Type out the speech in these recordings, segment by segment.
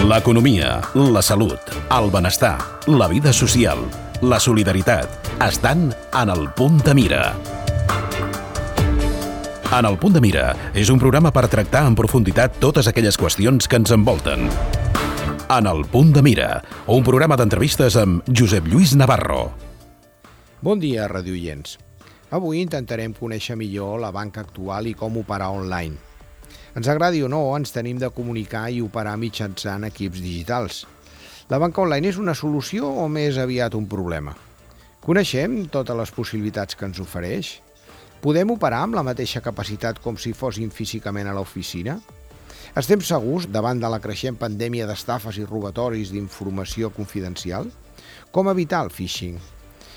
L'economia, la salut, el benestar, la vida social, la solidaritat estan en el Punt de Mira. En el Punt de Mira és un programa per tractar en profunditat totes aquelles qüestions que ens envolten. En el Punt de Mira, un programa d'entrevistes amb Josep Lluís Navarro. Bon dia, radioients. Avui intentarem conèixer millor la banca actual i com operar online. Ens agradi o no, ens tenim de comunicar i operar mitjançant equips digitals. La banca online és una solució o més aviat un problema? Coneixem totes les possibilitats que ens ofereix? Podem operar amb la mateixa capacitat com si fóssim físicament a l'oficina? Estem segurs davant de la creixent pandèmia d'estafes i robatoris d'informació confidencial? Com evitar el phishing?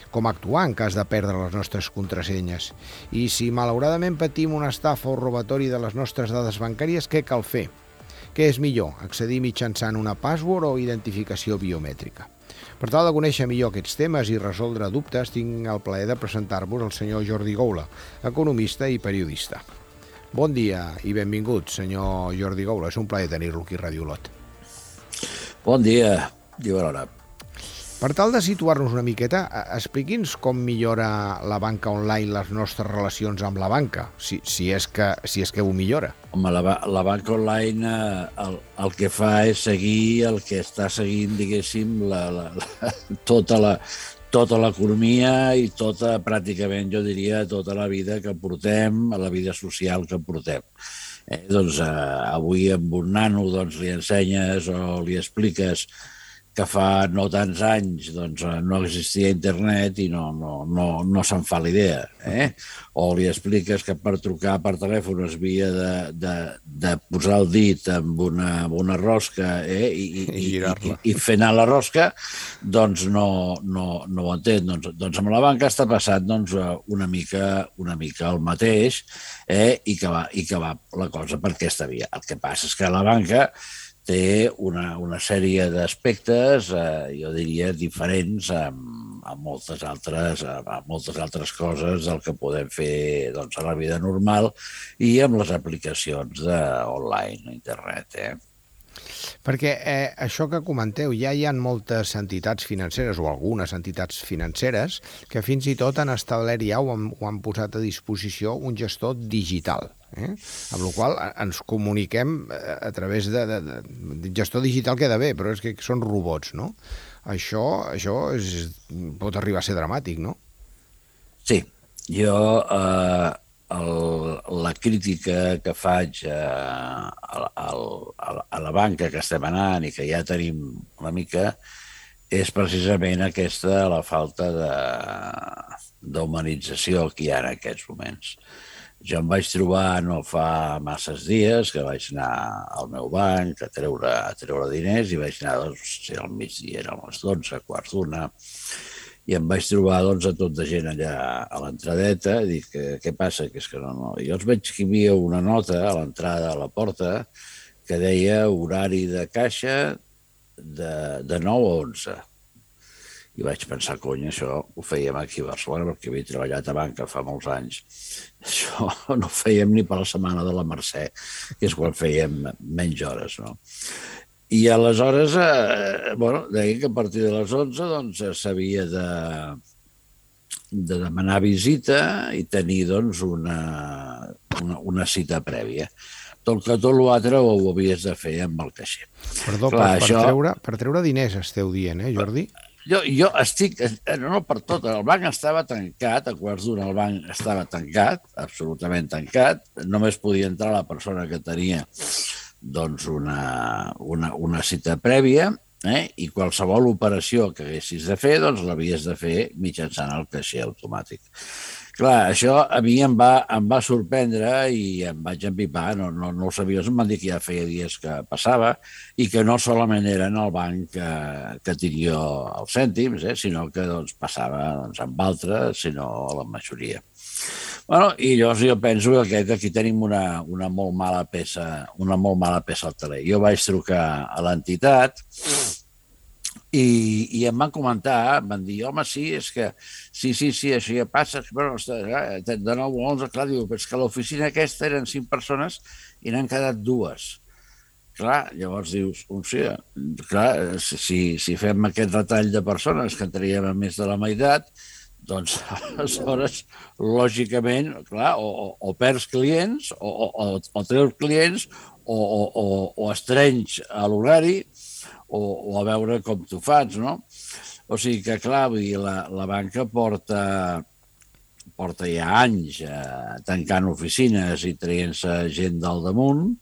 Com actuar en cas de perdre les nostres contrasenyes? I si malauradament patim una estafa o robatori de les nostres dades bancàries, què cal fer? Què és millor, accedir mitjançant una password o identificació biomètrica? Per tal de conèixer millor aquests temes i resoldre dubtes, tinc el plaer de presentar-vos el senyor Jordi Goula, economista i periodista. Bon dia i benvingut, senyor Jordi Goula. És un plaer tenir-lo aquí a Ràdio Olot. Bon dia i bona hora. Per tal de situar-nos una miqueta, expliqui'ns com millora la banca online les nostres relacions amb la banca, si és que ho millora. Home, la banca online el que fa és seguir el que està seguint, diguéssim, tota l'economia i pràcticament, jo diria, tota la vida que portem, la vida social que portem. Doncs avui amb un nano li ensenyes o li expliques que fa no tants anys no existia internet i no se'n fa l'idea. O li expliques que per trucar per telèfon es havia de posar el dit amb una rosca i fer anar la rosca, doncs no ho entén. Doncs amb la banca està passant una mica el mateix i que va la cosa per aquesta via. El que passa és que la banca té una sèrie d'aspectes, jo diria, diferents a moltes altres coses del que podem fer a la vida normal i amb les aplicacions online, internet. Perquè això que comenteu, ja hi ha moltes entitats financeres o algunes entitats financeres que fins i tot han establert ja o han posat a disposició un gestor digital. Amb la qual ens comuniquem a través de gestor digital queda bé, però és que són robots, no? Això pot arribar a ser dramàtic, no? Sí, jo la crítica que faig a la banca que estem anant i que ja tenim una mica és precisament aquesta, la falta d'humanització que hi ha en aquests moments. Jo em vaig trobar no fa masses dies que vaig anar al meu banc a treure diners i vaig anar al migdia, eren les 12, quarts d'una, i em vaig trobar a tot de gent allà a l'entradeta i dic, què passa? Que és que no. Jo els veig que hi havia una nota a l'entrada a la porta que deia horari de caixa de 9 a 11. I vaig pensar, cony, això ho fèiem aquí a Barcelona perquè havia treballat a banca fa molts anys. Això no ho fèiem ni per la setmana de la Mercè, que és quan fèiem menys hores, no? I aleshores, deia que a partir de les 11 s'havia de demanar visita i tenir una cita prèvia. Tot l'altre ho havies de fer amb el caixer. Perdó, per treure diners esteu dient, Jordi? Jo estic, no per tot, el banc estava tancat, a quarts d'una el banc estava tancat, absolutament tancat, només podia entrar la persona que tenia una cita prèvia i qualsevol operació que haguessis de fer l'havies de fer mitjançant el caixer automàtic. Clar, això a mi em va sorprendre i em vaig empipar, no ho sabia, em van dir que ja feia dies que passava i que no solament era en el banc que tenia els cèntims, sinó que passava amb altres, sinó la majoria. I llavors jo penso que aquí tenim una molt mala peça al teler. Jo vaig trucar a l'entitat i em van comentar, van dir, home, sí, és que sí, això ja passa, però de 9 a 11, clar, diu, és que a l'oficina aquesta eren 5 persones i n'han quedat 2. clar, llavors dius, hòstia, clar, si fem aquest retall de persones que entraríem a més de la meitat, doncs aleshores, lògicament, clar, o perds clients, o treus clients, o estrenys a l'horari, o a veure com t'ho fas, no? O sigui que, clar, vull dir, la banca porta ja anys tancant oficines i traient-se gent del damunt,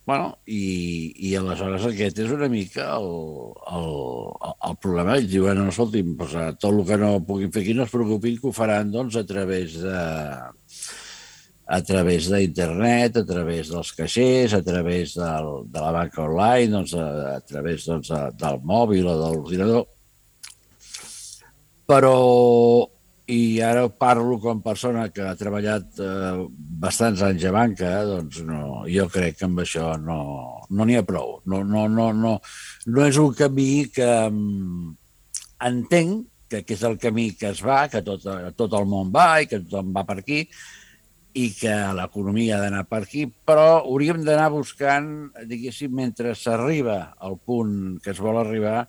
bueno, i aleshores aquest és una mica el problema. Ells diuen, no, escolti'm, tot el que no puguin fer aquí no es preocupin, que ho faran doncs, a través d'internet, a través dels caixers, a través de la banca online, doncs, a través del mòbil o de l'ordinador. Però, i ara parlo com a persona que ha treballat bastants anys a banca, doncs no, jo crec que amb això no n'hi ha prou. No és un camí que entenc que és el camí que es va, que tot el món va i que tothom va per aquí, i que l'economia ha d'anar per aquí, però hauríem d'anar buscant, diguéssim, mentre s'arriba al punt que es vol arribar,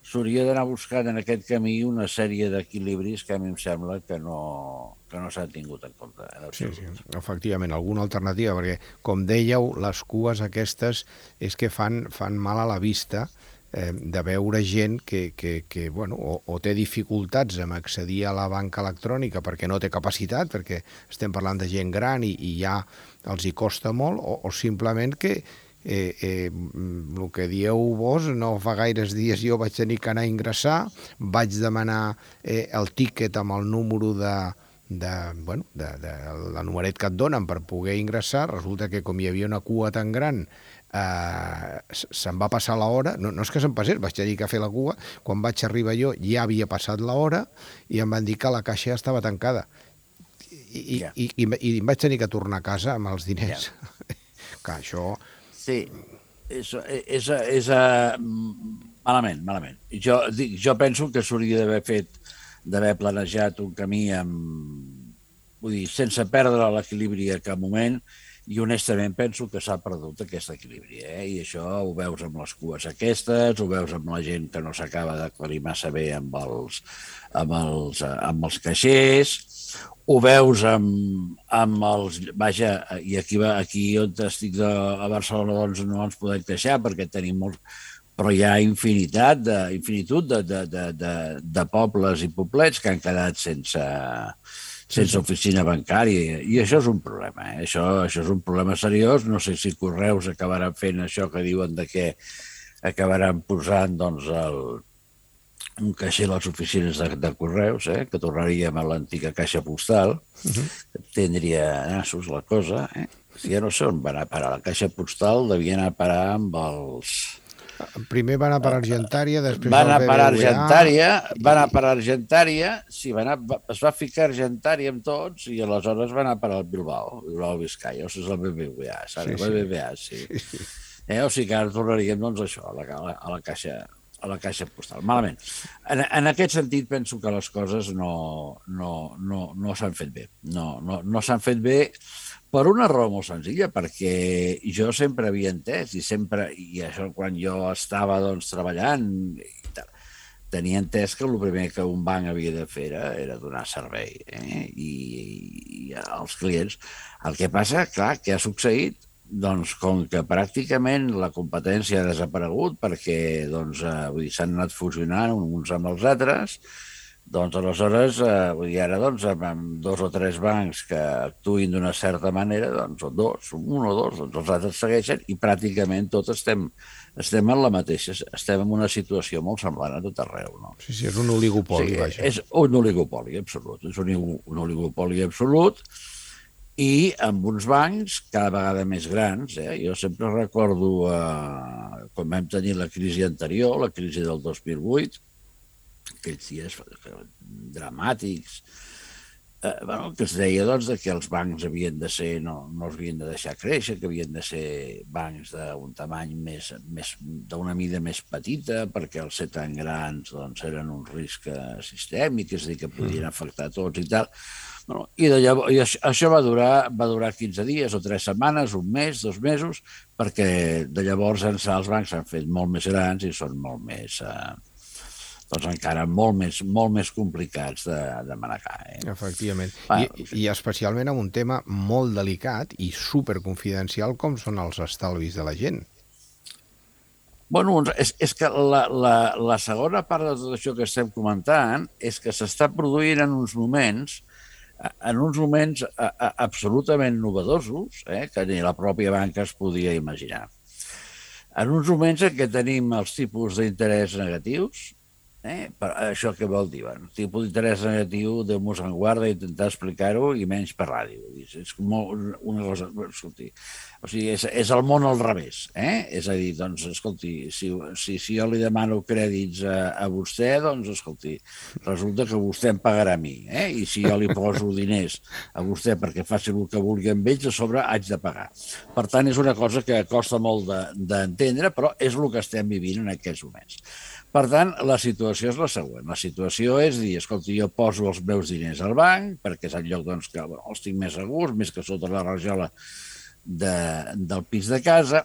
s'hauria d'anar buscant en aquest camí una sèrie d'equilibris que a mi em sembla que no s'han tingut en compte. Sí, efectivament, alguna alternativa, perquè, com dèieu, les cues aquestes és que fan mal a la vista de veure gent que bueno, o té dificultats en accedir a la banca electrònica perquè no té capacitat, perquè estem parlant de gent gran i ja els hi costa molt, o simplement que el que dieu vos, no fa gaires dies jo vaig tenir que anar a ingressar, vaig demanar el tíquet amb el número de la numeret que et donen per poder ingressar. Resulta que com hi havia una cua tan gran se'm va passar l'hora, no és que se'm passés, vaig tenir que fer la cua, quan vaig arribar jo ja havia passat l'hora i em van dir que la caixa estava tancada i em vaig tenir que tornar a casa amb els diners. Que això... Sí, és malament. Jo penso que s'hauria d'haver planejat un camí sense perdre l'equilibri a cap moment, i honestament penso que s'ha perdut aquest equilibri, i això ho veus amb les cues aquestes, ho veus amb la gent que no s'acaba d'aclarir massa bé amb els caixers, ho veus amb els... Vaja, i aquí on estic a Barcelona doncs no ens podem queixar perquè tenim molts... Però hi ha infinitud de pobles i poblets que han quedat sense oficina bancària, i això és un problema. Això és un problema seriós. No sé si Correus acabaran fent això que diuen de que acabaran posant doncs, un caixer a les oficines de Correus, que tornaríem a l'antiga caixa postal. Tindria nassos la cosa. Si ja no sé on va anar a parar la caixa postal, devia anar a parar amb els... Primer va anar per Argentària, després va anar per Argentària, sí, es va ficar Argentària amb tots i aleshores va anar per al Bilbao Vizcaya, o sigui, és el BBVA, saps? El BBVA, sí. O sigui que ara tornaríem, doncs, això, a la caixa postal. Malament. En aquest sentit, penso que les coses no s'han fet bé. No s'han fet bé per una raó molt senzilla, perquè jo sempre havia entès, i això quan jo estava treballant, tenia entès que el primer que un banc havia de fer era donar servei i als clients. El que passa, clar, que ha succeït, doncs com que pràcticament la competència ha desaparegut perquè s'han anat fusionant uns amb els altres, doncs aleshores, ara amb 2 o 3 bancs que actuïn d'una certa manera, doncs un o dos, els altres segueixen i pràcticament tots estem en la mateixa, estem en una situació molt semblant a tot arreu. No? Sí, és un oligopoli, vaja. És un oligopoli absolut, un oligopoli absolut, i amb uns bancs cada vegada més grans. Jo sempre recordo quan vam tenir la crisi anterior, la crisi del 2008, aquells dies dramàtics, que es deia que els bancs havien de ser, no els havien de deixar créixer, que havien de ser bancs d'un tamany d'una mida més petita, perquè els ser tan grans eren un risc sistèmic, és a dir, que podien afectar tots i tal. No? I això va durar 15 dies o 3 setmanes, un mes, 2 mesos, perquè de llavors ençà els bancs s'han fet molt més grans i són molt més, doncs encara molt més complicats de manegar. Efectivament. I especialment amb un tema molt delicat i superconfidencial com són els estalvis de la gent. Bueno, és que la segona part de tot això que estem comentant és que s'està produint en uns moments absolutament novedosos, que ni la pròpia banca es podia imaginar. En uns moments en què tenim els tipus d'interès negatius, això què vol dir? Bueno, tipus d'interès negatiu, Déu-nos en guarda, intentar explicar-ho i menys per ràdio. És una cosa... Escolti, o sigui, és el món al revés. És a dir, doncs, escolti, si jo li demano crèdits a vostè, doncs, escolti, resulta que vostè em pagarà a mi. I si jo li poso diners a vostè perquè faci el que vulgui amb ells, a sobre haig de pagar. Per tant, és una cosa que costa molt d'entendre, però és el que estem vivint en aquests moments. Per tant, la situació és la següent. La situació és dir, escolti, jo poso els meus diners al banc, perquè és el lloc doncs, que els tinc més segurs, més que sota la rajola del pis de casa,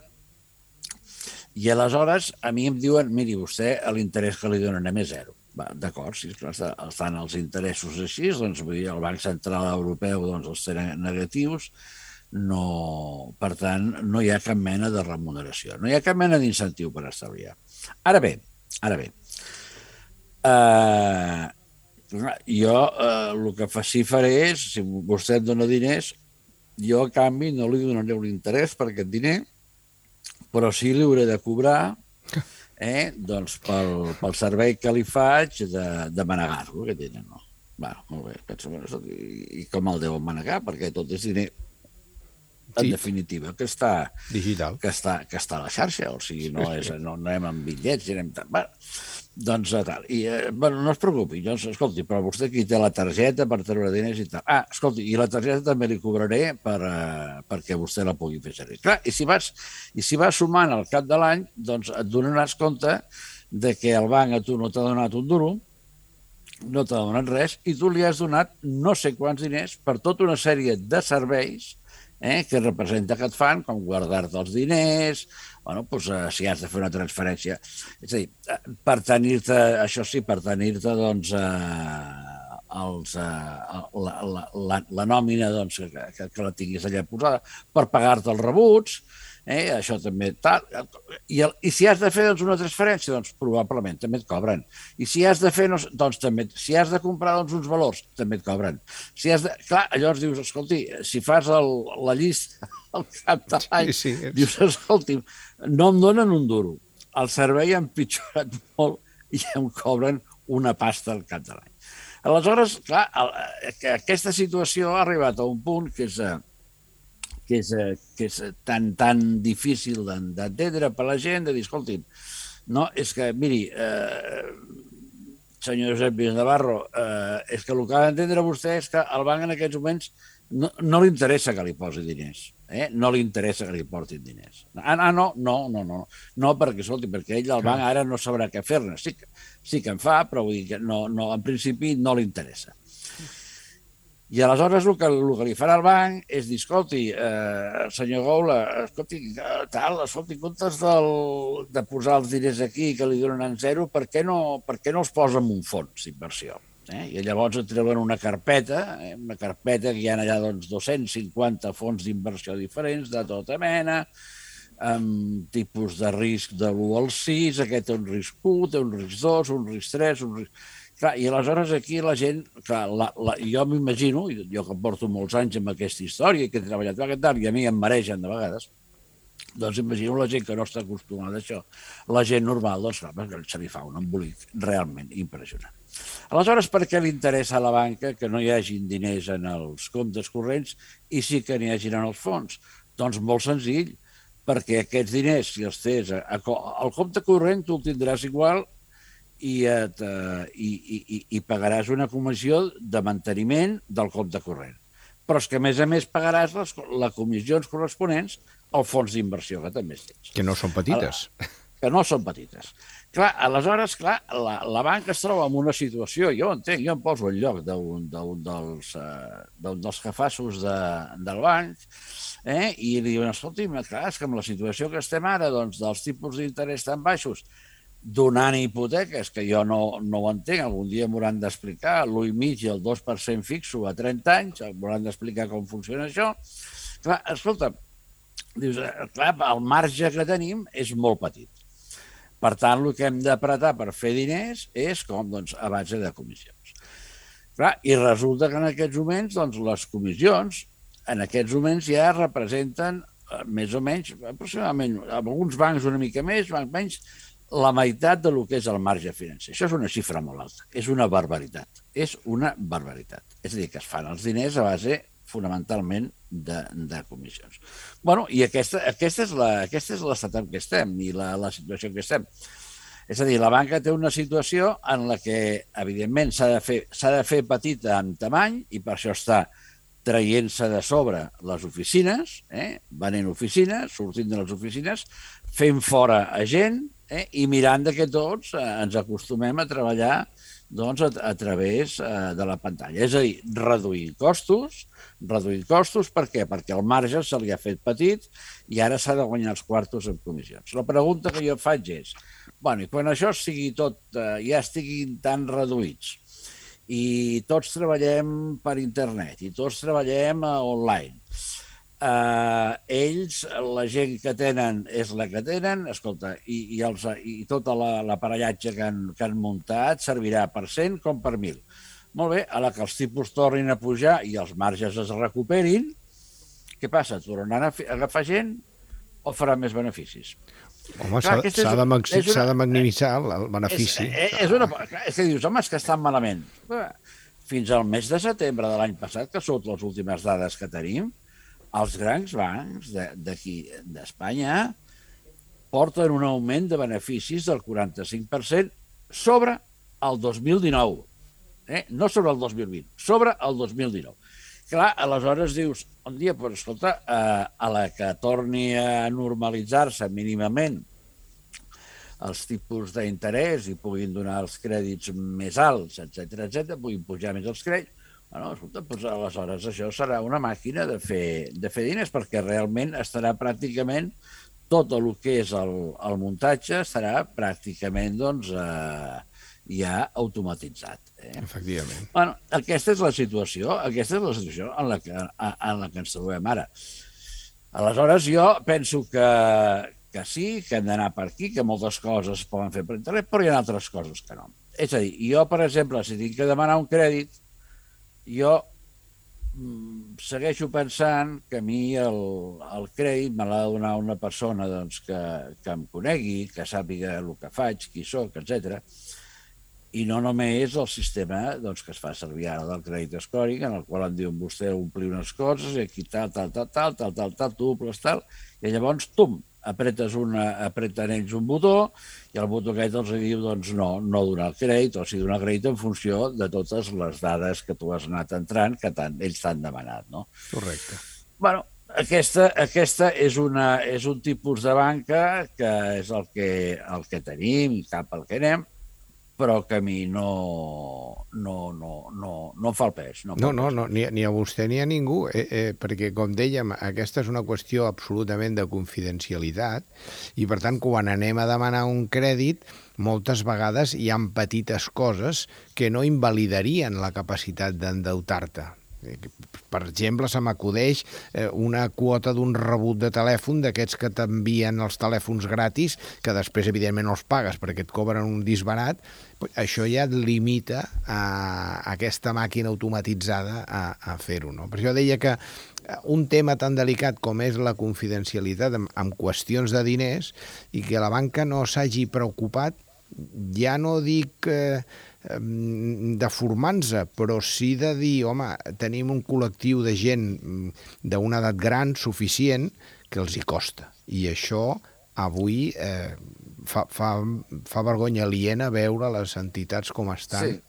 i aleshores a mi em diuen, miri, vostè l'interès que li donen és zero. D'acord, si estan els interessos així, doncs vull dir, el Banc Central Europeu doncs, els tenen negatius, per tant, no hi ha cap mena de remuneració, no hi ha cap mena d'incentiu per estalviar. Ara bé, jo el que faré és, si vostè em dona diners, jo a canvi no li donaré un interès per aquest diner, però sí li hauré de cobrar doncs pel servei que li faig de manegar-lo, que tenen. Molt bé, i com el deuen manegar, perquè tot és diner en definitiva, que està digital, que està a la xarxa, o sigui, no anem amb bitllets, anem tant. Doncs tal. I, no es preocupi, doncs, escolti, però vostè aquí té la targeta per treure diners i tal. Escolti, i la targeta també li cobraré perquè vostè la pugui fer servir. Clar, i si vas sumant al cap de l'any, doncs et donaràs compte de que el banc a tu no t'ha donat un duro, no t'ha donat res, i tu li has donat no sé quants diners per tota una sèrie de serveis que representa que et fan, com guardar-te els diners, si has de fer una transferència. És a dir, per tenir-te, això sí, per tenir-te doncs, la nòmina doncs, que la tinguis allà posada, per pagar-te els rebuts, això també tal. I si has de fer doncs, una transferència, doncs probablement també et cobren. I si has de fer, doncs també, si has de comprar doncs, uns valors, també et cobren. Si has de... Clar, llavors dius, escolti, si fas la llista al cap de l'any, dius, escolti, no em donen un duro. El servei ha empitjorat molt i em cobren una pasta al cap de l'any. Aleshores, clar, aquesta situació ha arribat a un punt que és tan difícil d'entendre per la gent, de dir, escolti'm, no, és que, miri, senyor Josep Lluís Navarro, és que el que ha d'entendre vostè és que al banc en aquests moments no li interessa que li posi diners, no li interessa que li portin diners. No, perquè, escolti, perquè ell al banc ara no sabrà què fer-ne. Sí que en fa, però vull dir que en principi no li interessa. I aleshores el que li farà el banc és dir, escolti, senyor Goula, escolti, en comptes de posar els diners aquí que li donen en zero, per què no els posa en un fons d'inversió? I llavors et treuen una carpeta que hi ha allà doncs, 250 fons d'inversió diferents de tota mena, amb tipus de risc de l'1 al 6, aquest té un risc 1, té un risc 2, un risc 3, un risc... Clar, i aleshores aquí la gent, clar, jo m'imagino, jo que porto molts anys amb aquesta història i que he treballat aquest any, i a mi em maregen de vegades, doncs imagino la gent que no està acostumada a això. La gent normal, doncs clar, se li fa un embolic realment impressionant. Aleshores, per què li interessa a la banca que no hi hagin diners en els comptes corrents i sí que n'hi hagin en els fons? Doncs molt senzill, perquè aquests diners, si els tens al compte corrent, tu el tindràs igual i pagaràs una comissió de manteniment del compte corrent. Però és que, a més pagaràs les comissions corresponents al fons d'inversió, que també tens. Que no són petites. que no són petites. Clar, aleshores, la banca es troba en una situació, jo entenc, jo em poso al lloc d'un dels jefassos del banc, i li diuen, escolti'm, clar, és que amb la situació que estem ara, doncs, dels tipus d'interès tan baixos, donant hipoteques, que jo no ho entenc, algun dia m'hauran d'explicar, l'1,5 i el 2% fixo a 30 anys, m'hauran d'explicar com funciona això. Clar, escolta, dius, clar, el marge que tenim és molt petit. Per tant, el que hem d'apretar per fer diners és com, doncs, a base de comissions. Clar, i resulta que en aquests moments, doncs, les comissions, en aquests moments ja representen més o menys, aproximadament, alguns bancs una mica més, bancs menys, la meitat del que és el marge financer. Això és una xifra molt alta, és una barbaritat, és una barbaritat. És a dir, que es fan els diners a base fonamentalment de comissions. Bueno, i aquesta és l'estat en què estem i la situació en què estem. És a dir, la banca té una situació en la que, evidentment, s'ha de fer petita en tamany i per això està traient-se de sobre les oficines, venent oficines, sortint de les oficines, fent fora a gent i mirant que tots ens acostumem a treballar doncs, a través de la pantalla. És a dir, reduir costos, per què? Perquè el marge se li ha fet petit i ara s'ha de guanyar els quartos en comissions. La pregunta que jo faig és, bueno, i quan això sigui tot, ja estiguin tan reduïts i tots treballem per internet i tots treballem online, ells, la gent que tenen és la que tenen, escolta, i tot l'aparellatge que han muntat servirà per 100 com per 1.000. Molt bé, a la que els tipus tornin a pujar i els marges es recuperin, què passa? Tornaran a agafar gent o faran més beneficis? Home, s'ha de maximitzar el benefici. És que dius, home, és que estan malament. Fins al mes de setembre de l'any passat, que són les últimes dades que tenim, els grans bancs d'aquí d'Espanya porten un augment de beneficis del 45% sobre el 2019. No sobre el 2020, sobre el 2019. Clar, aleshores dius, un dia, però escolta, a la que torni a normalitzar-se mínimament els tipus d'interès i puguin donar els crèdits més alts, etc, puguin pujar més els crèdits, bueno, escolta, doncs aleshores això serà una màquina de fer diners, perquè realment estarà pràcticament tot el que és el muntatge estarà pràcticament doncs, ja automatitzat. Efectivament. Bueno, aquesta és la situació en la que ens trobem ara. Aleshores, jo penso que sí, que hem d'anar per aquí, que moltes coses es poden fer per internet, però hi ha altres coses que no. És a dir, jo, per exemple, si tinc que demanar un crèdit, jo segueixo pensant que a mi el crèdit me l'ha de donar una persona doncs, que em conegui, que sàpiga el que faig, qui soc, etc. I no només el sistema doncs, que es fa servir ara del crèdit scoring, en el qual em diuen vostè omplir unes coses i aquí tal, tu omples tal, i llavors, apreten ells un botó i el botó aquest els diu doncs, no donar el crèdit o si donar el crèdit en funció de totes les dades que tu has anat entrant que ells t'han demanat. No? Correcte. Bueno, aquesta és un tipus de banca que és el que tenim i cap al que anem, però que a mi no em fa el pes. No, ni a vostè ni a ningú, perquè, com dèiem, aquesta és una qüestió absolutament de confidencialitat i, per tant, quan anem a demanar un crèdit, moltes vegades hi ha petites coses que no invalidarien la capacitat d'endeutar-te. Per exemple, se m'acudeix una quota d'un rebut de telèfon d'aquests que t'envien els telèfons gratis, que després, evidentment, no els pagues perquè et cobren un disbarat. Això ja et limita a aquesta màquina automatitzada a fer-ho. No? Per això deia que un tema tan delicat com és la confidencialitat en qüestions de diners i que la banca no s'hagi preocupat, ja no dic de formar-se, però sí de dir, home, tenim un col·lectiu de gent d'una edat gran suficient que els hi costa. I això avui fa vergonya aliena veure les entitats com estan.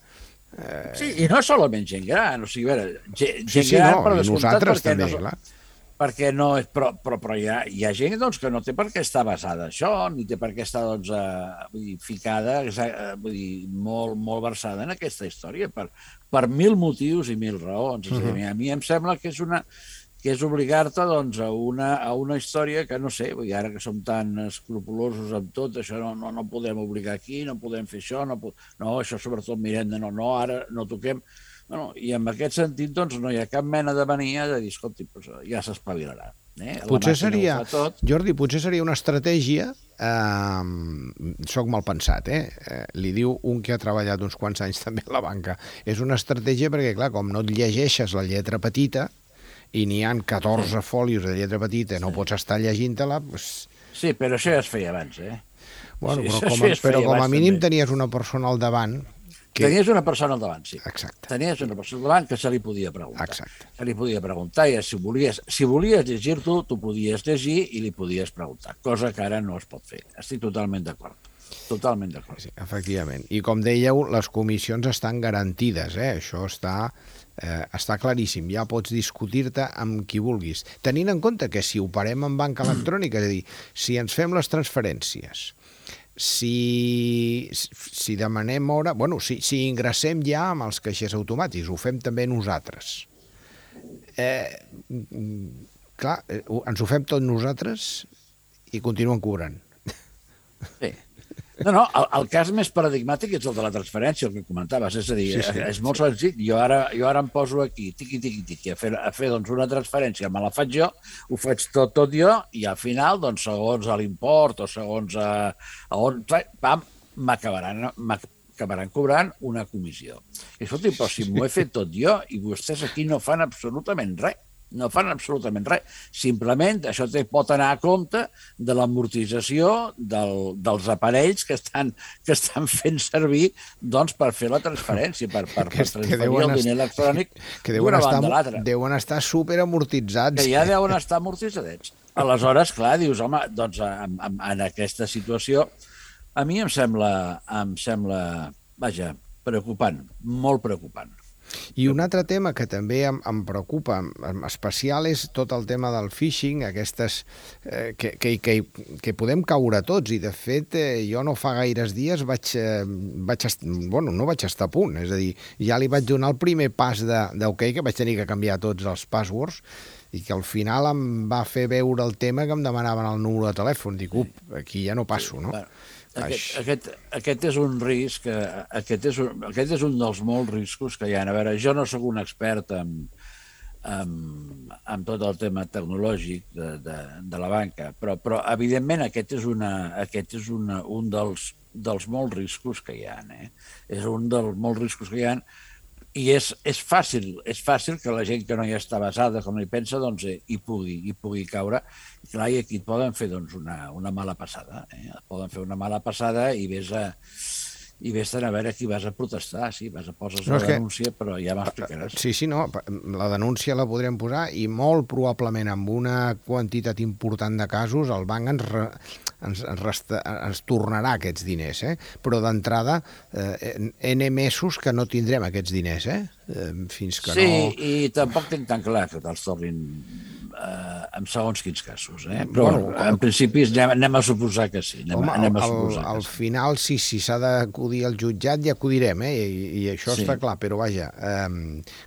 Sí, i no solament gent gran, o sigui, a veure, gent gran per descomptat, nosaltres també, clar. perquè no és... Però hi ha gent doncs, que no té per què estar basada en això, ni té per què estar doncs, ficada, vull dir, molt versada en aquesta història, per mil motius i mil raons. És a dir, a mi em sembla que és obligar-te doncs, a una història que, no sé, ara que som tan escrupulosos amb tot, això no podem obligar aquí, no podem fer això, no, això sobretot mirem de no, ara no toquem... Bueno, i en aquest sentit doncs, no hi ha cap mena de mania de dir, escolti, ja s'espavilarà. Potser seria, Jordi, una estratègia, soc mal pensat, li diu un que ha treballat uns quants anys també a la banca, és una estratègia perquè, clar, com no et llegeixes la lletra petita i n'hi ha 14 fòlios de lletra petita, no pots estar llegint-te-la... Sí, però això ja es feia abans, Bueno, però com a mínim tenies una persona al davant. Tenies una persona al davant, sí. Exacte. Tenies una persona al davant que se li podia preguntar. Exacte. Se li podia preguntar i si volies llegir-t'ho, tu podies llegir i li podies preguntar, cosa que ara no es pot fer. Estic totalment d'acord. Totalment d'acord. Sí, efectivament. I com dèieu, les comissions estan garantides, Això està claríssim. Ja pots discutir-te amb qui vulguis. Tenint en compte que si operem en banca electrònica, és a dir, si ens fem les transferències, si demanem hora... Bueno, si ingressem ja amb els caixers automàtics, ho fem també nosaltres. Clar, ens ho fem tot nosaltres i continuen cobrant. Sí. No, el cas més paradigmàtic és el de la transferència, el que comentaves. És a dir, és molt senzill. Jo ara em poso aquí, tiqui, a fer doncs, una transferència, me la faig jo, ho faig tot jo, i al final, doncs, segons l'import o segons on m'acabaran cobrant una comissió. I escolti, però si m'ho he fet tot jo i vostès aquí no fan absolutament res. No fan absolutament res. Simplement això pot anar a compte de l'amortització dels aparells que estan fent servir doncs, per fer la transferència, per transferir el diner electrònic d'una banda a l'altra. Deuen estar superamortitzats. Que ja deuen estar amortitzadets. Aleshores, clar, dius, home, doncs en aquesta situació a mi em sembla, vaja, preocupant, molt preocupant. I un altre tema que també em preocupa, en especial, és tot el tema del phishing, aquestes que podem caure tots, i de fet jo no fa gaires dies no vaig estar a punt, és a dir, ja li vaig donar el primer pas d'OK, que vaig tenir que canviar tots els passwords, i que al final em va fer veure el tema que em demanaven el número de telèfon. Dic, aquí ja no passo, no? Aquest és un risc, aquest és un dels molts riscos que hi ha. A veure, jo no sóc un expert en tot el tema tecnològic de la banca, però evidentment aquest és un dels molts riscos que hi ha. És un dels molts riscos que hi ha, i és fàcil que la gent que no hi està basada, com hi pensa, doncs hi pugui caure. I clar, i aquí et poden fer doncs, una mala passada. Poden fer una mala passada i vés-te'n a veure qui vas a protestar. Sí, poses la denúncia, però ja m'explicaràs. Sí, no, la denúncia la podrem posar i molt probablement amb una quantitat important de casos el banc ens tornarà aquests diners, però d'entrada N mesos que no tindrem aquests diners, fins que no... Sí, i tampoc tinc tan clar que te'ls tornin en segons quins casos, però en principi anem a suposar que sí. Al final, si s'ha d'acudir al jutjat, ja acudirem, i això està clar, però vaja,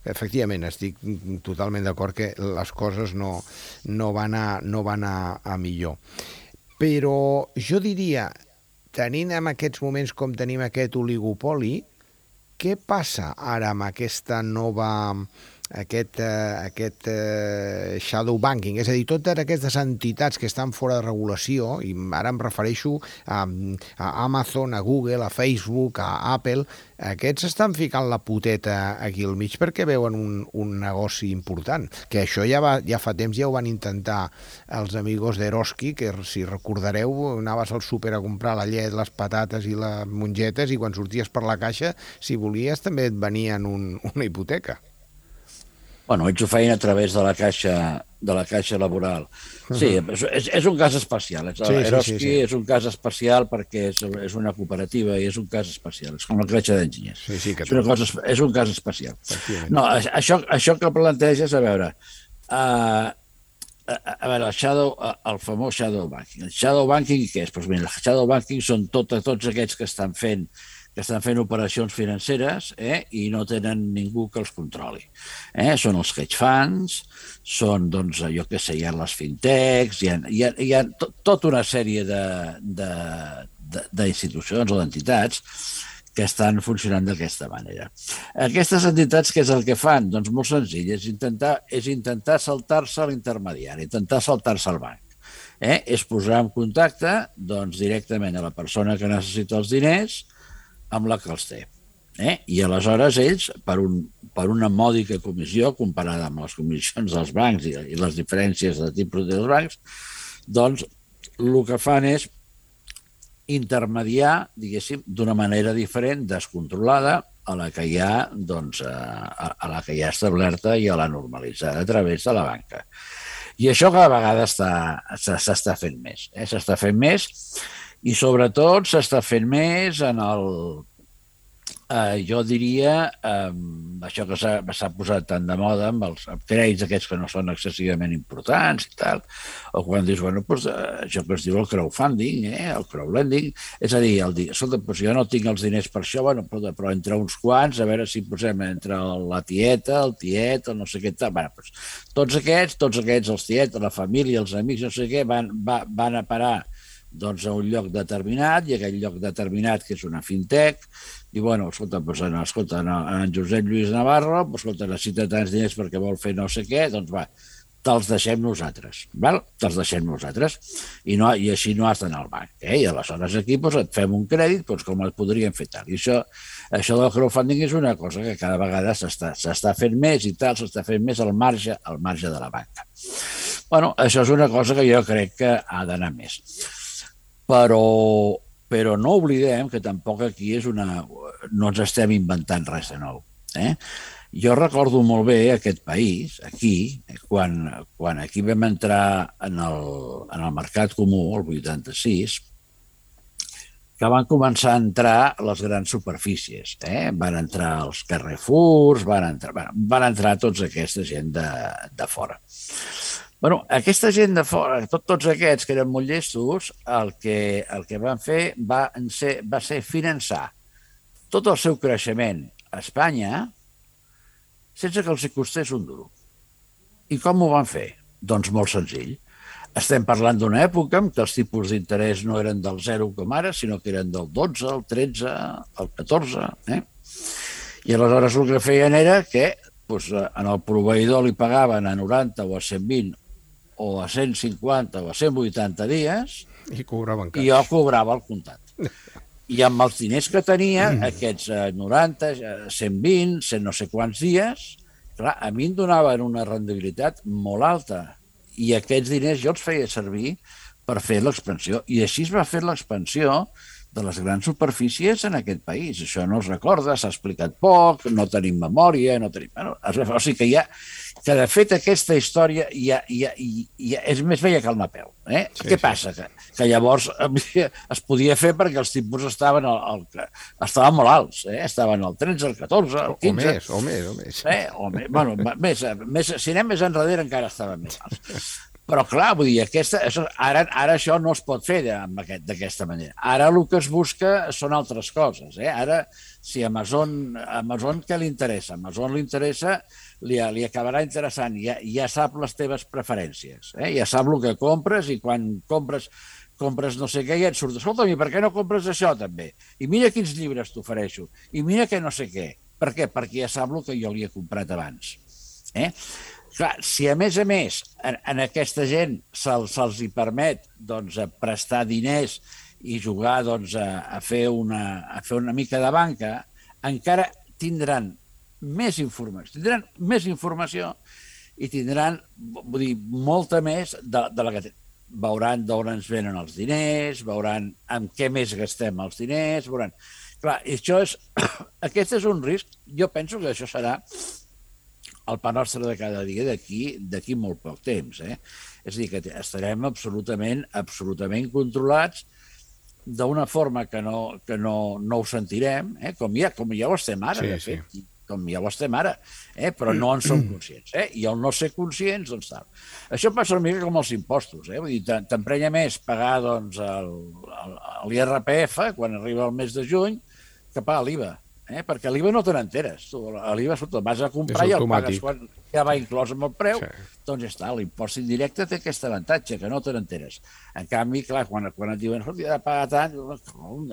efectivament, estic totalment d'acord que les coses no van a millor. Però jo diria, tenint en aquests moments com tenim aquest oligopoli, què passa ara amb aquesta nova... aquest shadow banking, és a dir, totes aquestes entitats que estan fora de regulació, i ara em refereixo a Amazon, a Google, a Facebook, a Apple, aquests estan ficant la poteta aquí al mig perquè veuen un negoci important, que això ja fa temps ja ho van intentar els amigos d'Eroski, que si recordareu anaves al súper a comprar la llet, les patates i les mongetes i quan sorties per la caixa, si volies també et venien una hipoteca. Bueno, ells ho feien a través de la caixa laboral. Sí, és un cas especial. Eroski és un cas especial perquè és una cooperativa i és un cas especial. És com la caixa d'enginyers. És un cas especial. No, això que planteges, a veure, A veure, el famós shadow banking. El shadow banking què és? Doncs mira, el shadow banking són tots aquests que estan fent operacions financeres i no tenen ningú que els controli. Són els hedge funds, són, doncs, jo què sé, hi ha les fintechs, hi ha tota una sèrie d'institucions o d'entitats que estan funcionant d'aquesta manera. Aquestes entitats, què és el que fan? Doncs molt senzill, és intentar saltar-se l'intermediari, intentar saltar-se el banc. És posar en contacte doncs, directament a la persona que necessita els diners amb la que els té. I aleshores ells, per una mòdica comissió, comparada amb les comissions dels bancs i les diferències de tipus dels bancs, doncs el que fan és intermediar, diguéssim, d'una manera diferent, descontrolada, a la que hi ha, doncs, a la que hi ha establerta i a la normalitzada a través de la banca. I això cada vegada s'està fent més. S'està fent més i, sobretot, s'està fent més en el... jo diria, això que s'ha posat tant de moda amb els crèdits aquests que no són excessivament importants i tal, o quan dius, bueno, doncs, això que es diu el crowdfunding, el crowdlending, és a dir, escolta, doncs jo no tinc els diners per això, bueno, però entre uns quants, a veure si posem entre la tieta, el tiet, o no sé què tal, bueno, doncs, tots aquests, els tiets, la família, els amics, no sé què, van a parar doncs, a un lloc determinat, i aquell lloc determinat, que és una fintech, i, bueno, escolta, en Josep Lluís Navarro, escolta, necessita tants diners perquè vol fer no sé què, doncs va, te'ls deixem nosaltres, val? Te'ls deixem nosaltres, i així no has d'anar al banc, i aleshores aquí et fem un crèdit com et podríem fer tal. I això del crowdfunding és una cosa que cada vegada s'està fent més i tal, s'està fent més al marge de la banca. Bueno, això és una cosa que jo crec que ha d'anar més. Però no oblidem que tampoc aquí no ens estem inventant res de nou. Jo recordo molt bé aquest país, aquí, quan aquí vam entrar en el mercat comú, el 86, que van començar a entrar les grans superfícies. Van entrar els Carrefours, van entrar tota aquesta gent de fora. Bueno, aquesta gent de fora, tots aquests que eren molt llestos, el que van fer va ser finançar tot el seu creixement a Espanya sense que els costés un duro. I com ho van fer? Doncs molt senzill. Estem parlant d'una època en què els tipus d'interès no eren del 0 com ara, sinó que eren del 12, el 13, el 14. I aleshores el que feien era que en el proveïdor li pagaven a 90 o a 120 o a 150 o a 180 dies i cobraven cash. I jo cobrava el comptat. I amb els diners que tenia, aquests 90, 120, 100 no sé quants dies, clar, a mi em donaven una rendibilitat molt alta i aquests diners jo els feia servir per fer l'expansió. I així es va fer l'expansió de les grans superfícies en aquest país. Això no es recorda, s'ha explicat poc, no tenim memòria, no tenim... O sigui que de fet aquesta història és més vella que el Napeu. Què passa? Que llavors es podia fer perquè els tipus estaven molt alts, estaven al 13, al 14, al 15... O més. Bueno, si anem més enrere encara estaven més alts. Però, clar, vull dir, ara això no es pot fer d'aquesta manera. Ara el que es busca són altres coses. Ara, si Amazon què li interessa? Amazon li interessa, li acabarà interessant, ja sap les teves preferències, ja sap el que compres i quan compres no sé què i et surt, escolta'm, i per què no compres això també? I mira quins llibres t'ofereixo, i mira que no sé què. Per què? Perquè ja sap el que jo li he comprat abans. Clar, si a més en aquesta gent se'ls hi permet prestar diners i jugar a fer una mica de banca, encara tindran més informació i tindran, vull dir, molta més de la que tenen. Veuran d'on ens venen els diners, veuran amb què més gastem els diners, veuran... Clar, aquest és un risc. Jo penso que això serà el pa nostre de cada dia d'aquí molt poc temps. És a dir, que estarem absolutament controlats d'una forma que no ho sentirem, com ja ho estem ara, de fet. com ja ho estem ara, però no en som conscients. I el no ser conscients, doncs tal. Això passa una mica com els impostos. Vull dir, t'emprenya més pagar doncs, l'IRPF quan arriba el mes de juny que pagar l'IVA. Perquè l'IVA no te n'enteres. L'IVA vas a comprar i el pagues quan ja va inclòs amb el preu, doncs ja està. L'impost indirecte té aquest avantatge, que no te n'enteres. En canvi, clar, quan et diuen escolta, he de pagar tant,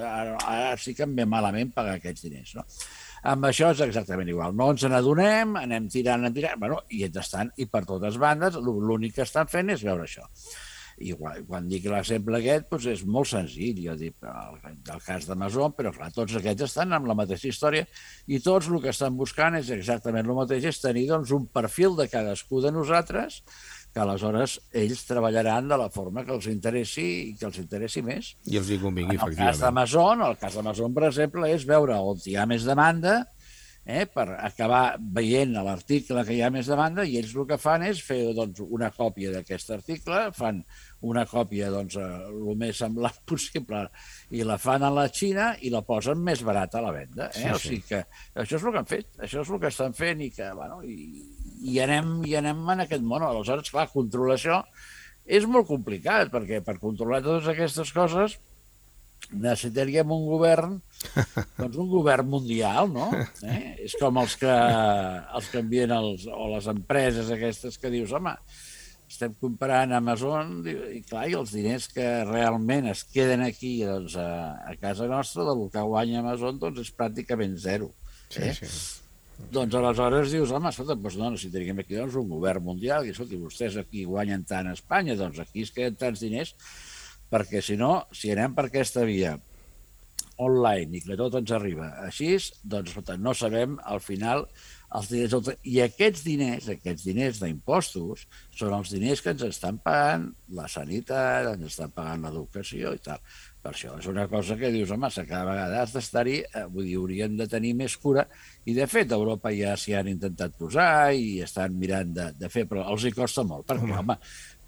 ara sí que em ve malament pagar aquests diners. No? Amb això és exactament igual. No ens n'adonem, anem tirant, bueno, i entretant, i per totes bandes, l'únic que estan fent és veure això. I quan dic l'exemple aquest, doncs és molt senzill. Jo dic el cas d'Amazon, però clar, tots aquests estan amb la mateixa història i tots el que estan buscant és exactament el mateix, és tenir doncs, un perfil de cadascú de nosaltres que aleshores ells treballaran de la forma que els interessi i que els interessi més. I els hi convingui, efectivament. El cas d'Amazon, per exemple, és veure on hi ha més demanda, per acabar veient a l'article que hi ha més demanda, i ells el que fan és fer doncs, una còpia d'aquest article, fan una còpia doncs, el més semblant possible i la fan a la Xina i la posen més barata a la venda. O sigui que això és el que han fet, això és el que estan fent i que, bueno, i anem en aquest món. Aleshores, clar, controlar això és molt complicat, perquè per controlar totes aquestes coses necessitaríem un govern, doncs un govern mundial, no? És com els que envien o les empreses aquestes que dius, home, estem comparant Amazon i clar, i els diners que realment es queden aquí doncs, a casa nostra, del que guanya Amazon, doncs és pràcticament zero. Doncs aleshores dius, home, escolta, doncs no, necessitaríem aquí doncs, un govern mundial, i escolta, vostès aquí guanyen tant a Espanya, doncs aquí es queden tants diners, perquè si no, si anem per aquesta via online i que tot ens arriba així, doncs no sabem al final els diners. I aquests diners d'impostos són els diners que ens estan pagant la sanitat, ens estan pagant l'educació i tal. Per això és una cosa que dius, home, cada vegada has d'estar-hi, vull dir, hauríem de tenir més cura, i de fet a Europa ja s'hi han intentat posar i estan mirant de fer, però els hi costa molt,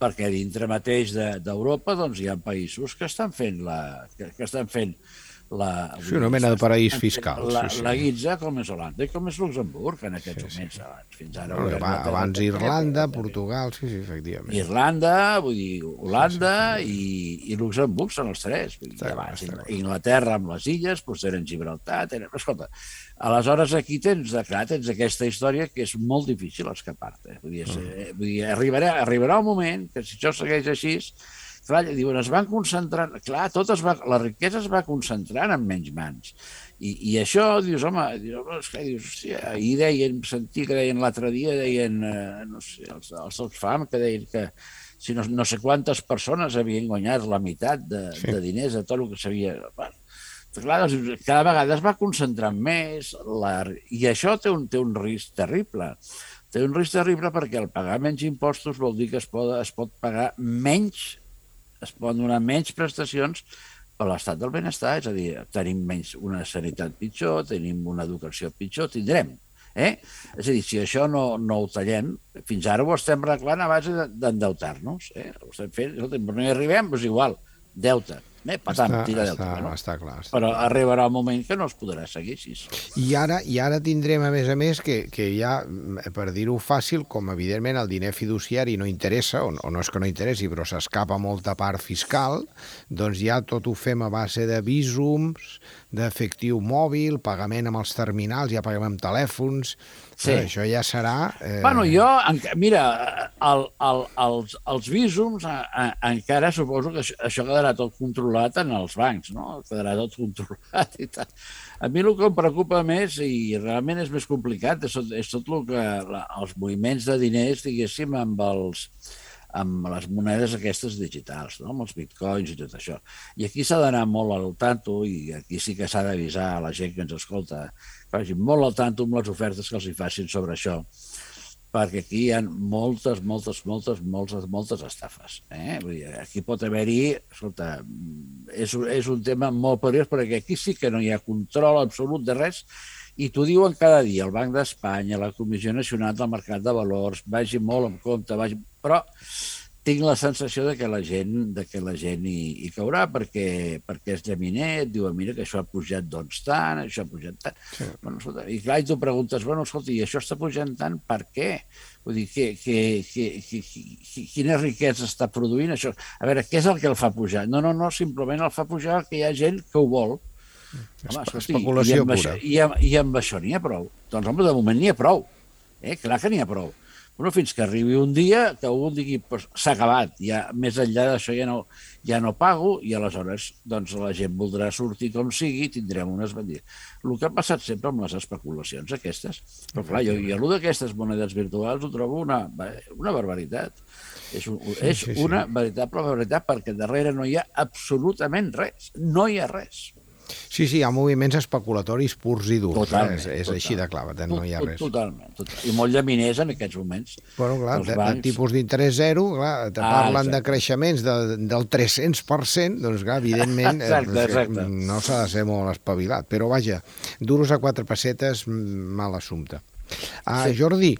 perquè dintre mateix d'Europa doncs, hi ha països que estan fent una mena de paraís fiscal. La guitza, com és Holanda i com és Luxemburg en aquests moments. Fins ara, abans Irlanda, Portugal, sí, efectivament. Irlanda, vull dir, Holanda i Luxemburg són els tres. Abans, Inglaterra amb les illes, doncs tenen Gibraltar, escolta, aleshores aquí tens aquesta història que és molt difícil escapar-te. Vull dir, arribarà un moment que si això segueix així, clar, diuen, es van concentrant, clar, la riquesa es va concentrant en menys mans. I això, dius, home, ahir sentia que deien l'altre dia, no sé, els Oxfam, que deien que si no sé quantes persones havien guanyat la meitat de diners de tot el que s'havia... Clar, doncs, cada vegada es va concentrant més, i això té un risc terrible. Té un risc terrible perquè el pagar menys impostos vol dir que es pot pagar menys, es poden donar menys prestacions per l'estat del benestar, és a dir, tenim menys una sanitat pitjor, tenim una educació pitjor, tindrem. És a dir, si això no ho tallem, fins ara ho estem arreglant a base d'endeutar-nos. Ho estem fent, però no hi arribem, doncs igual, deute. Tira deute. Està clar. Però arribarà un moment que no es podrà seguir així. I ara tindrem, a més, que ja, per dir-ho fàcil, com evidentment el diner fiduciari no interessa, o no és que no interessi, però s'escapa molta part fiscal, doncs ja tot ho fem a base de vísums, d'efectiu mòbil, pagament amb els terminals, ja paguem amb telèfons... Sí. Això ja serà... Bueno, mira, els vísums encara suposo que això quedarà tot controlat en els bancs, no? Quedarà tot controlat i tal. A mi el que em preocupa més, i realment és més complicat, és tot el que els moviments de diners, diguéssim, amb les monedes aquestes digitals, no? Amb els bitcoins i tot això. I aquí s'ha d'anar molt al tanto, i aquí sí que s'ha d'avisar a la gent que ens escolta, vagi molt al tanto amb les ofertes que els hi facin sobre això, perquè aquí hi ha moltes estafes. Vull dir, aquí pot haver-hi, escolta, és un tema molt perillós, perquè aquí sí que no hi ha control absolut de res, i t'ho diuen cada dia, el Banc d'Espanya, la Comissió Nacional del Mercat de Valors, vagi molt en compte, però tinc la sensació de que la gent hi caurà perquè és llaminer, et diuen, mira, que això ha pujat doncs tant, això ha pujat tant. Sí. Bueno, escolta, i clar, i tu preguntes, bueno, escolta, i això està pujant tant, per què? Vull dir, quina riquesa està produint això? A veure, què és el que el fa pujar? No, simplement el fa pujar que hi ha gent que ho vol. Home, especulació pura. I amb això n'hi ha prou. Doncs, home, de moment n'hi ha prou. Clar que n'hi ha prou. Bueno, fins que arribi un dia que algú digui pues, s'ha acabat, ja, més enllà d'això ja no pago, i aleshores doncs, la gent voldrà sortir com sigui, tindrem unes vendides. El que ha passat sempre amb les especulacions aquestes. Però clar, jo allò d'aquestes monedes virtuals ho trobo una barbaritat. És una veritable barbaritat, perquè darrere no hi ha absolutament res. No hi ha res. Sí, hi ha moviments especulatoris purs i durs. Totalment. És així de clar, no hi ha res. Totalment. I molt llaminers en aquests moments. Bueno, clar, de tipus d'interès zero, clar, te parlen de creixements del 300%, doncs clar, evidentment exacte. No s'ha de ser molt espavilat. Però vaja, duros a 4 pessetes, mal assumpte. Sí. Jordi,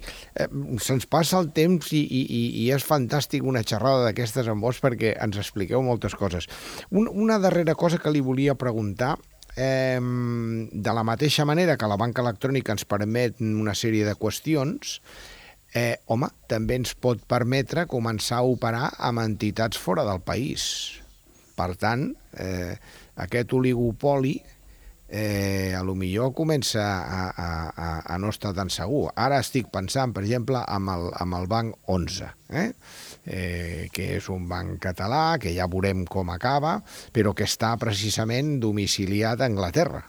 se'ns passa el temps i és fantàstic una xerrada d'aquestes amb vos perquè ens expliqueu moltes coses. Una darrera cosa que li volia preguntar, de la mateixa manera que la banca electrònica ens permet una sèrie de qüestions, home, també ens pot permetre començar a operar amb entitats fora del país. Per tant, aquest oligopoli a lo millor comença a no estar tan segur. Ara estic pensant, per exemple, amb el Banc 11, que és un banc català, que ja veurem com acaba, però que està precisament domiciliat a Anglaterra.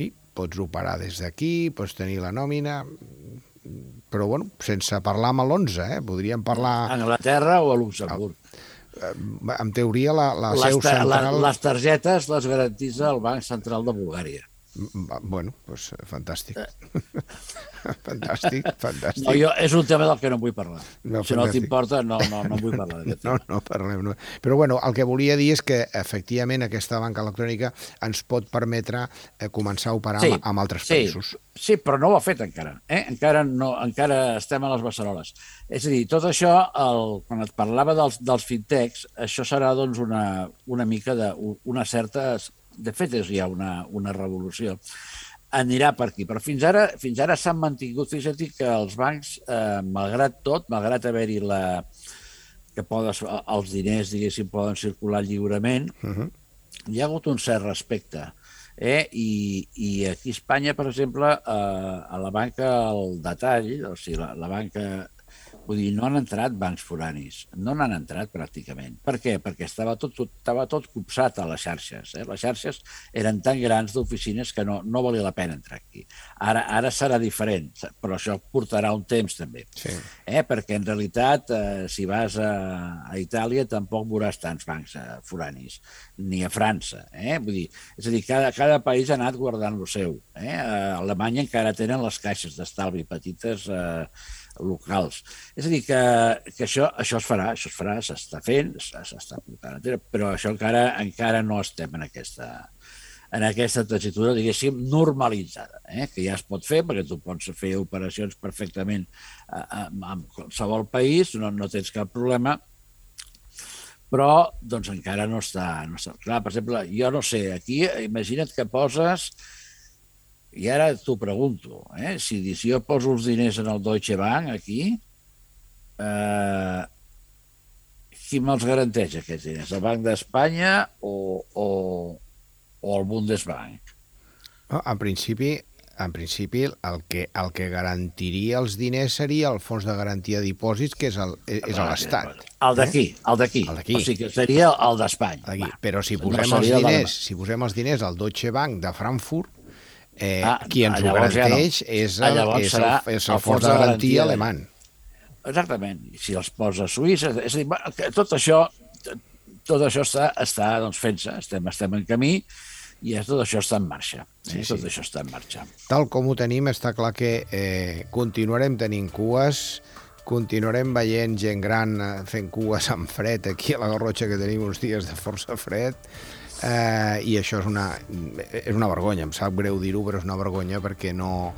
I pots operar des d'aquí, pots tenir la nòmina, però bueno, sense parlar amb l'11, podríem parlar... A Anglaterra o a Luxemburg. En teoria, la seu central... Les targetes les garantitza el Banc Central de Bulgària. Bueno, doncs fantàstic. Fantàstic. No, és un tema del que no vull parlar. Si no t'importa, no vull parlar d'aquest tema. No parlem. No. Però bueno, el que volia dir és que efectivament aquesta banca electrònica ens pot permetre començar a operar amb altres països. Sí, però no ho ha fet encara. Encara estem a les beceroles. És a dir, tot això, quan et parlava dels fintechs, això serà doncs, una mica d'una certa... De fet, és ja una revolució. Anirà per aquí. Però fins ara s'han mantingut. Fixa't que els bancs, malgrat tot, malgrat haver-hi els diners, diguéssim, poden circular lliurement, hi ha hagut un cert respecte. I aquí a Espanya, per exemple, a la banca al detall, o sigui, la banca... Vull dir, no han entrat bancs foranis, no n'han entrat pràcticament. Per què? Perquè estava tot copsat a les xarxes. Les xarxes eren tan grans d'oficines que no valia la pena entrar aquí. Ara serà diferent, però això portarà un temps també. Sí. Perquè en realitat, si vas a Itàlia, tampoc veuràs tants bancs foranis, ni a França. Vull dir, és a dir, cada país ha anat guardant lo seu. A Alemanya encara tenen les caixes d'estalvi petites locals. És a dir, que això es farà, s'està fent, s'està portant, però això encara no estem en aquesta tessitura, diguéssim, normalitzada, que ja es pot fer, perquè tu pots fer operacions perfectament en qualsevol país, no tens cap problema, però doncs encara no està clar. Per exemple, jo no sé, aquí imagina't que poses... I ara t'ho pregunto, si jo poso els diners en el Deutsche Bank aquí, qui me'ls garanteix aquests diners? El Banc d'Espanya o el Bundesbank? En principi, el que garantiria els diners seria el Fons de Garantia de Dipòsits, que és l'Estat. El d'aquí. O sigui que seria el d'Espanya. Però si posem els diners al Deutsche Bank de Frankfurt, qui ens ho garanteix és el Fons de Garantia alemany. Exactament. Si els posa a Suïssa... És a dir, tot això està fent-se, estem en camí i tot això està en marxa. Tot això està en marxa. Tal com ho tenim, està clar que continuarem tenint cues, continuarem veient gent gran fent cues amb fred aquí a la Garrotxa, que tenim uns dies de força fred, i això és una vergonya. Em sap greu dir-ho, però és una vergonya perquè no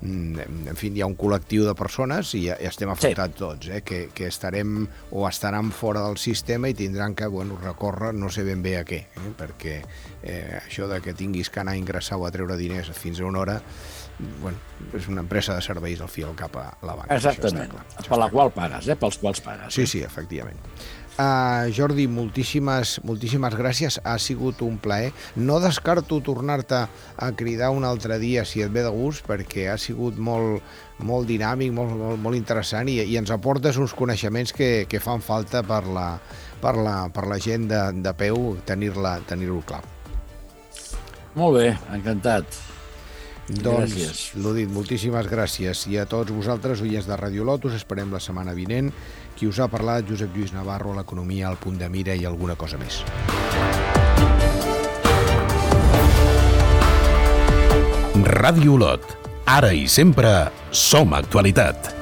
en fi, hi ha un col·lectiu de persones i estem afectats tots, que estarem o estaran fora del sistema i tindran que recórrer no sé ben bé a què, perquè això de que tinguis que anar a ingressar o a treure diners fins a una hora, és una empresa de serveis al fi al cap a la banca. Exactament, per la qual pagues, pels quals pagues. Sí, efectivament. Jordi, moltíssimes gràcies, ha sigut un plaer. No descarto tornar-te a cridar un altre dia si et ve de gust, perquè ha sigut molt dinàmic, molt interessant i ens aportes uns coneixements que fan falta per la gent de peu tenir-ho clar. Molt bé, encantat. Doncs, l'ho dit, moltíssimes gràcies. I a tots vosaltres, oients de Radio Lotus, esperem la setmana vinent. Qui us ha parlat, Josep Lluís Navarro, a l'Economia, al Punt de Mira i alguna cosa més. Ràdio Olot. Ara i sempre som actualitat.